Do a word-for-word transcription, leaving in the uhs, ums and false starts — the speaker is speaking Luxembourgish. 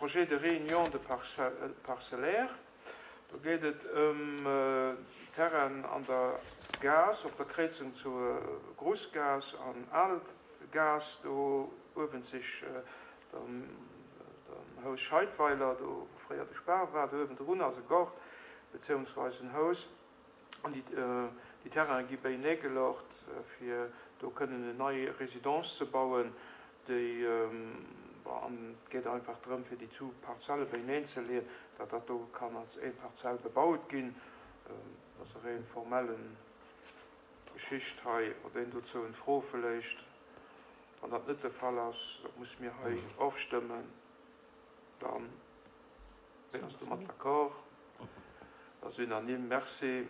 Projet de réunion de parcellaire. Do geet et ëm Terrainen an der Gaass, op der Kréizung zu Grussgaass an Algaass, do uewentzeg dem Haus Scheidweiler, do wou fréier de Spar war, do uewendrun ass e Gaart beziehungsweise en Haus. An déi Terraine gi béineegelocht, fir do kënnen en nei Résidence ze bauen, déi, bon, an et geet einfach drëm, fir déi zwou Parzelle béineen ze leeën, datt dat do kann als een Parzell bebaut ginn. Dat ass e réin formellen Geschicht hei. Huet een dozou en Fro vläicht? Wann dat net de Fall ass, da musse mir hei ofstëmmen. Dann, ween ass domat d'accord? Dat ass unanime. Merci.